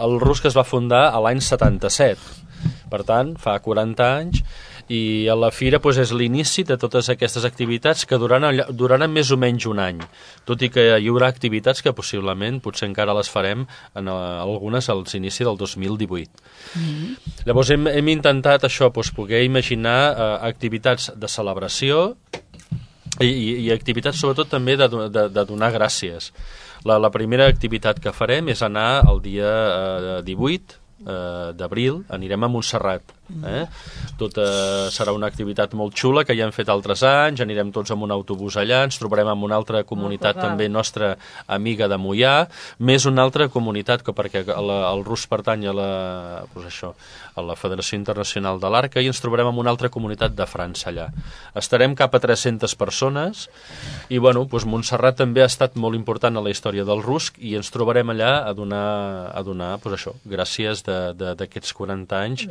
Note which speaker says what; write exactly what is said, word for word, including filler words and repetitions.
Speaker 1: El Rusc es va fundar a l'any setanta-set, per tant, fa quaranta anys, i a la fira doncs, és l'inici de totes aquestes activitats que duraran, duraran més o menys un any, tot i que hi haurà activitats que possiblement potser encara les farem en algunes als inicis del dos mil divuit. Mm-hmm. Llavors hem, hem intentat això, doncs, poder imaginar eh, activitats de celebració i, i, i activitats sobretot també de, de, de donar gràcies. La, la primera activitat que farem és anar el dia eh, divuit eh, d'abril, anirem a Montserrat. Eh? Tot eh, serà una activitat molt xula que ja hem fet altres anys, anirem tots amb un autobús allà, ens trobarem amb una altra comunitat també nostra amiga de Moià, més una altra comunitat que perquè el, el Rusc pertany a la, doncs això, a la Federació Internacional de l'Arca, i ens trobarem amb una altra comunitat de França allà. Estarem cap a tres-centes persones i bueno, doncs Montserrat també ha estat molt important a la història del Rusc i ens trobarem allà a donar, a donar doncs això, gràcies d'aquests quaranta anys.